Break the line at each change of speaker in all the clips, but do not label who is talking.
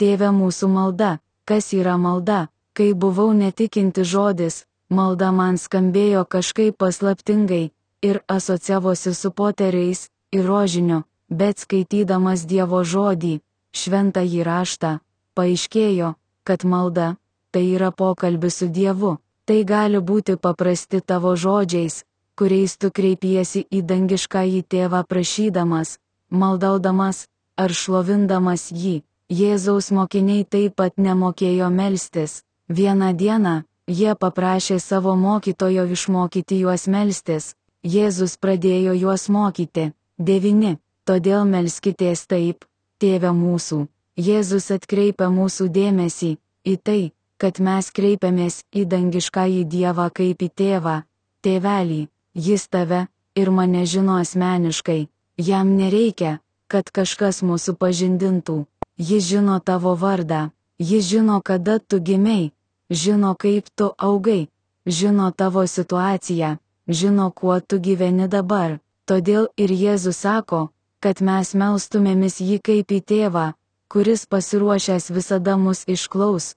Tėve mūsų malda. Kas yra malda? Kai buvau netikinti žodis, malda man skambėjo kažkaip paslaptingai ir asocijavosi su poteriais ir rožiniu, bet skaitydamas Dievo žodį, šventąjį raštą, paaiškėjo, kad malda tai yra pokalbis su Dievu. Tai gali būti paprasti tavo žodžiais, kuriais tu kreipiesi į dangiškąjį tėvą prašydamas, maldaudamas ar šlovindamas jį. Jėzaus mokiniai taip pat nemokėjo melstis. Vieną dieną jie paprašė savo mokytojo išmokyti juos melstis. Jėzus pradėjo juos mokyti. 9. Todėl melskitės taip, Tėve mūsų. Jėzus atkreipia mūsų dėmesį į tai, kad mes kreipiamės į dangiškąjį Dievą kaip į tėvą. Tėvelį, jis tave ir mane žino asmeniškai. Jam nereikia, kad kažkas mūsų pažindintų. Jis žino tavo vardą. Jis žino, kada tu gimei. Žino, kaip tu augai. Žino tavo situaciją. Žino, kuo tu gyveni dabar. Todėl ir Jėzus sako, kad mes melstumėmis jį kaip į tėvą, kuris pasiruošęs visada mus išklaus,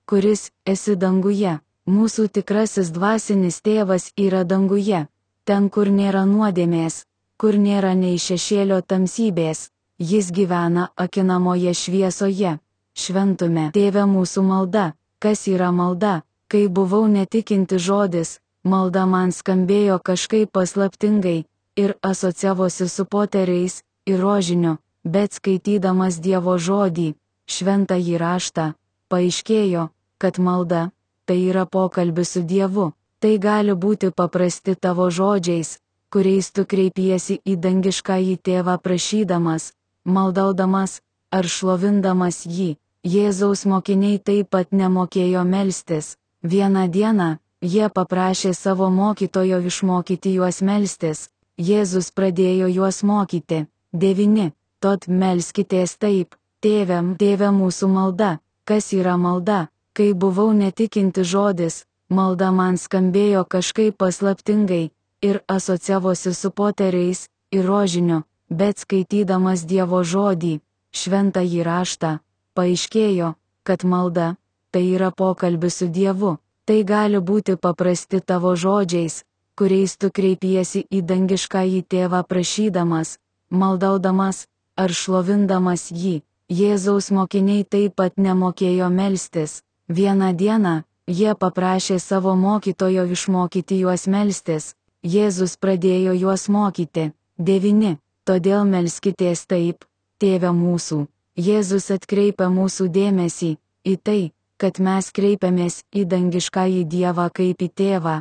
kuris esi danguje. Mūsų tikrasis dvasinis tėvas yra danguje. Ten, kur nėra nuodėmės, kur nėra nei šešėlio tamsybės. Jis gyvena akinamoje šviesoje. Šventume. Tėve mūsų malda. Kas yra malda? Kai buvau netikinti žodis, malda man skambėjo kažkaip paslaptingai ir asocijavosi su poteriais ir rožiniu, bet skaitydamas Dievo žodį, šventąjį raštą, paaiškėjo, kad malda tai yra pokalbis su Dievu. Tai gali būti paprasti tavo žodžiais, kuriais tu kreipiesi į dangiškąjį tėvą prašydamas, maldaudamas ar šlovindamas jį. Jėzaus mokiniai taip pat nemokėjo melstis. Vieną dieną jie paprašė savo mokytojo išmokyti juos melstis. Jėzus pradėjo juos mokyti. 9. Tad melskitės taip, Tėve mūsų malda. Kas yra malda? Kai buvau netikinti žodis, malda man skambėjo kažkaip paslaptingai ir asocijavosi su poteriais ir rožiniu, bet skaitydamas Dievo žodį, šventąjį raštą, paaiškėjo, kad malda tai yra pokalbis su Dievu. Tai gali būti paprasti tavo žodžiais, kuriais tu kreipiesi į dangiškąjį tėvą prašydamas, maldaudamas ar šlovindamas jį. Jėzaus mokiniai taip pat nemokėjo melstis. Vieną dieną jie paprašė savo mokytojo išmokyti juos melstis. Jėzus pradėjo juos mokyti. 9. Todėl melskitės taip, Tėve mūsų. Jėzus atkreipia mūsų dėmesį į tai, kad mes kreipiamės į dangiškąjį Dievą kaip į tėvą.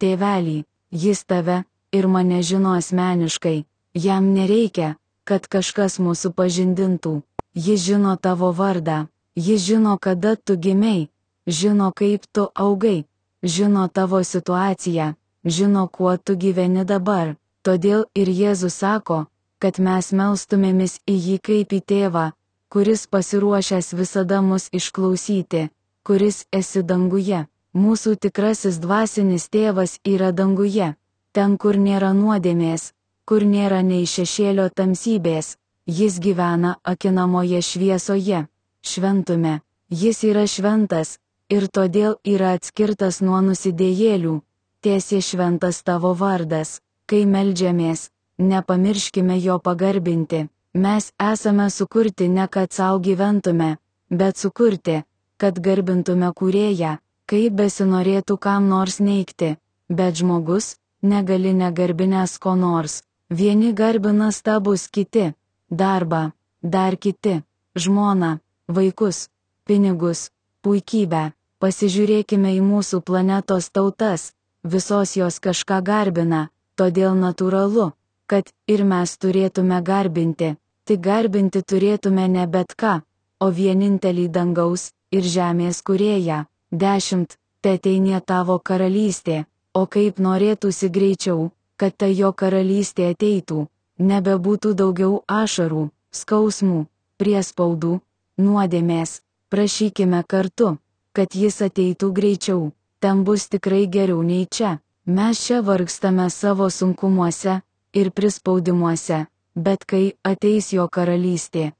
Tėvelį, jis tave ir mane žino asmeniškai. Jam nereikia, kad kažkas mūsų pažindintų. Jis žino tavo vardą. Jis žino, kada tu gimei. Žino, kaip tu augai. Žino tavo situaciją. Žino, kuo tu gyveni dabar. Todėl ir Jėzus sako, kad mes melstumėmis į jį kaip į tėvą, kuris pasiruošęs visada mus išklausyti, kuris esi danguje. Mūsų tikrasis dvasinis tėvas yra danguje. Ten, kur nėra nuodėmės, kur nėra nei šešėlio tamsybės. Jis gyvena akinamoje šviesoje. Šventume. Jis yra šventas ir todėl yra atskirtas nuo nusidėjėlių. Tiesie šventas tavo vardas. Kai meldžiamės, nepamirškime jo pagarbinti. Mes esame sukurti ne kad savo gyventume, bet sukurti, kad garbintume kūrėją, kaip besinorėtų kam nors neigti. Bet žmogus negali negarbinęs ko nors. Vieni garbina stabus, kiti darbą, dar kiti žmoną, vaikus, pinigus, puikybę. Pasižiūrėkime į mūsų planetos tautas, visos jos kažką garbina, todėl natūralu, kad ir mes turėtume garbinti. Tik garbinti turėtume ne bet ką, o vienintelį dangaus ir žemės kūrėją. 10. Teateinie tavo karalystė, o kaip norėtųsi greičiau, kad ta jo karalystė ateitų. Nebebūtų daugiau ašarų, skausmų, priespaudų, nuodėmės. Prašykime kartu, kad jis ateitų greičiau. Ten bus tikrai geriau nei čia. Mes čia vargstame savo sunkumuose ir prispaudimuose, bet kai ateis jo karalystė,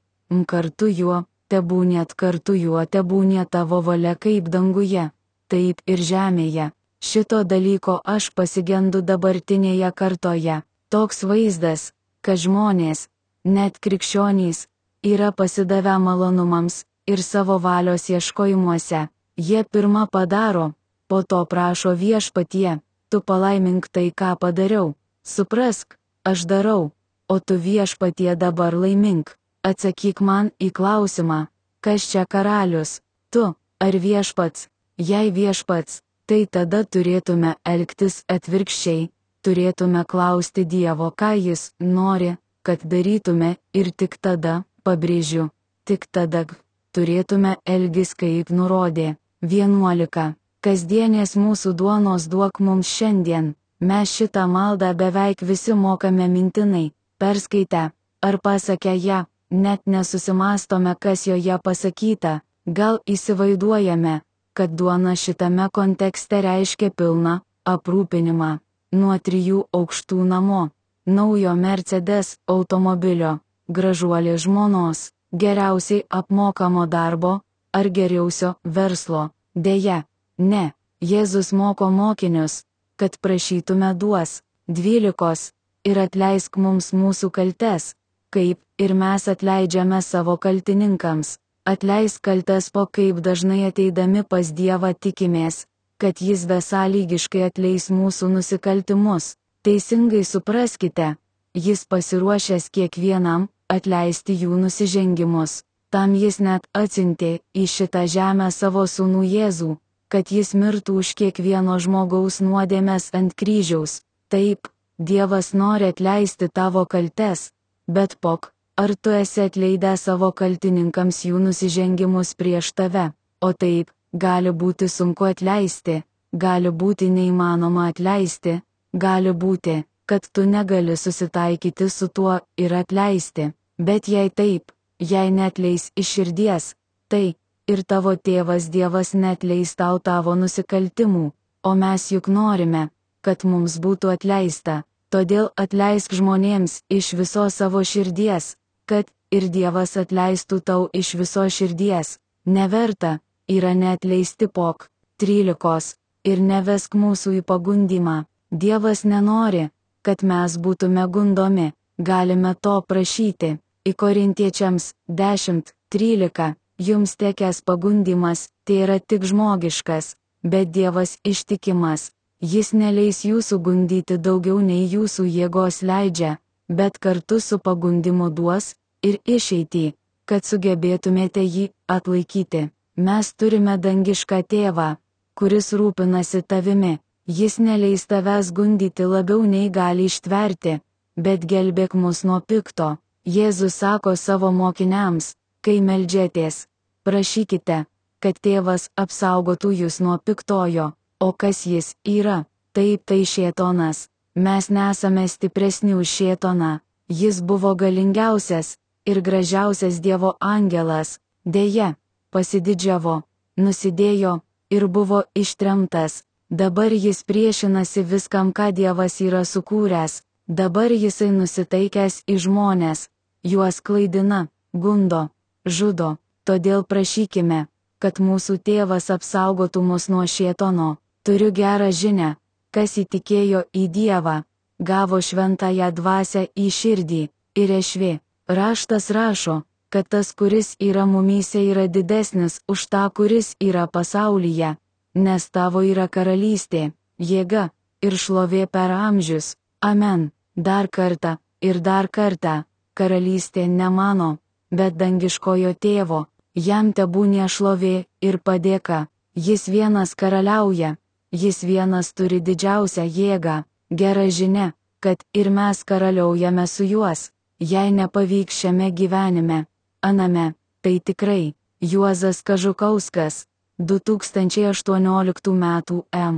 kartu juo tebūnėt kartu juo, tebūnė tavo valia kaip danguje, taip ir žemėje. Šito dalyko aš pasigendu dabartinėje kartoje. Toks vaizdas, kad žmonės, net krikščionys, yra pasidavę malonumams ir savo valios ieškojimuose. Jie pirma padaro, po to prašo viešpatie, tu palaimink tai, ką padariau. Suprask, aš darau, o tu viešpatie dabar laimink. Atsakyk man į klausimą, kas čia karalius, tu ar viešpats? Jei viešpats, tai tada turėtume elgtis atvirkščiai, turėtume klausti Dievo, ką jis nori, kad darytume, ir tik tada, pabrėžiu, tik tada turėtume elgtis kaip nurodė. 11. Kasdienės mūsų duonos duok mums šiandien. Mes šitą maldą beveik visi mokame mintinai, perskaitę, ar pasakę ją, net nesusimastome, kas joje pasakyta. Gal įsivaizduojame, kad duona šitame kontekste reiškia pilną aprūpinimą. Nuo 3 aukštų namo, naujo Mercedes automobilio, gražuolės žmonos, geriausiai apmokamo darbo, ar geriausio verslo. Deja, ne, Jėzus moko mokinius, kad prašytume duos. 12. Ir atleisk mums mūsų kaltes, kaip ir mes atleidžiame savo kaltininkams. Atleisk kaltes, po kaip dažnai ateidami pas Dievą tikimės, kad jis besąlygiškai atleis mūsų nusikaltimus. Teisingai supraskite, jis pasiruošęs kiekvienam atleisti jų nusižengimus. Tam jis net atsiuntė į šitą žemę savo sūnų Jėzų, kad jis mirtų už kiekvieno žmogaus nuodėmes ant kryžiaus. Taip, Dievas nori atleisti tavo kaltes, bet pok, ar tu esi atleidęs savo kaltininkams jų nusižengimus prieš tave? O taip, gali būti sunku atleisti, gali būti neįmanoma atleisti, gali būti, kad tu negali susitaikyti su tuo ir atleisti. Bet jei taip, jei netleis iš širdies, tai ir tavo tėvas Dievas netleis tau tavo nusikaltimų, o mes juk norime, kad mums būtų atleista. Todėl atleisk žmonėms iš visos savo širdies, kad ir Dievas atleistų tau iš visos širdies. Neverta yra neatleisti pok. 13. Ir nevesk mūsų į pagundymą. Dievas nenori, kad mes būtume gundomi, galime to prašyti. Į Korintiečiams 10:13. Jums tekęs pagundymas, tai yra tik žmogiškas, bet Dievas ištikimas. Jis neleis jūsų gundyti daugiau nei jūsų jėgos leidžia, bet kartu su pagundimu duos ir išeitį, kad sugebėtumėte jį atlaikyti. Mes turime dangišką tėvą, kuris rūpinasi tavimi. Jis neleis tavęs gundyti labiau nei gali ištverti, bet gelbėk mus nuo pikto. Jėzus sako savo mokiniams, kai meldžiatės, prašykite, kad tėvas apsaugotų jūs nuo piktojo. O kas jis yra? Taip, tai šėtonas. Mes nesame stipresni už šėtoną. Jis buvo galingiausias ir gražiausias Dievo angelas. Deja, pasididžiavo, nusidėjo ir buvo ištremtas. Dabar jis priešinasi viskam, ką Dievas yra sukūręs. Dabar jisai nusitaikęs į žmonės. Juos klaidina, gundo, žudo. Todėl prašykime, kad mūsų tėvas apsaugotų mus nuo šėtono. Turiu gerą žinią, kas įtikėjo į Dievą, gavo šventąją dvasią į širdį ir ešvė. Raštas rašo, kad tas, kuris yra mumyse, yra didesnis už tą, kuris yra pasaulyje, nes tavo yra karalystė, jėga ir šlovė per amžius. Amen. Dar kartą ir dar kartą, karalystė ne mano, bet dangiškojo tėvo, jam tebūnie šlovė ir padėka, jis vienas karaliauja. Jis vienas turi didžiausią jėgą. Gera žinia, kad ir mes karaliaujame su juos, jei nepavyks šiame gyvenime. Aname, tai tikrai. Juozas Kažukauskas, 2018 m.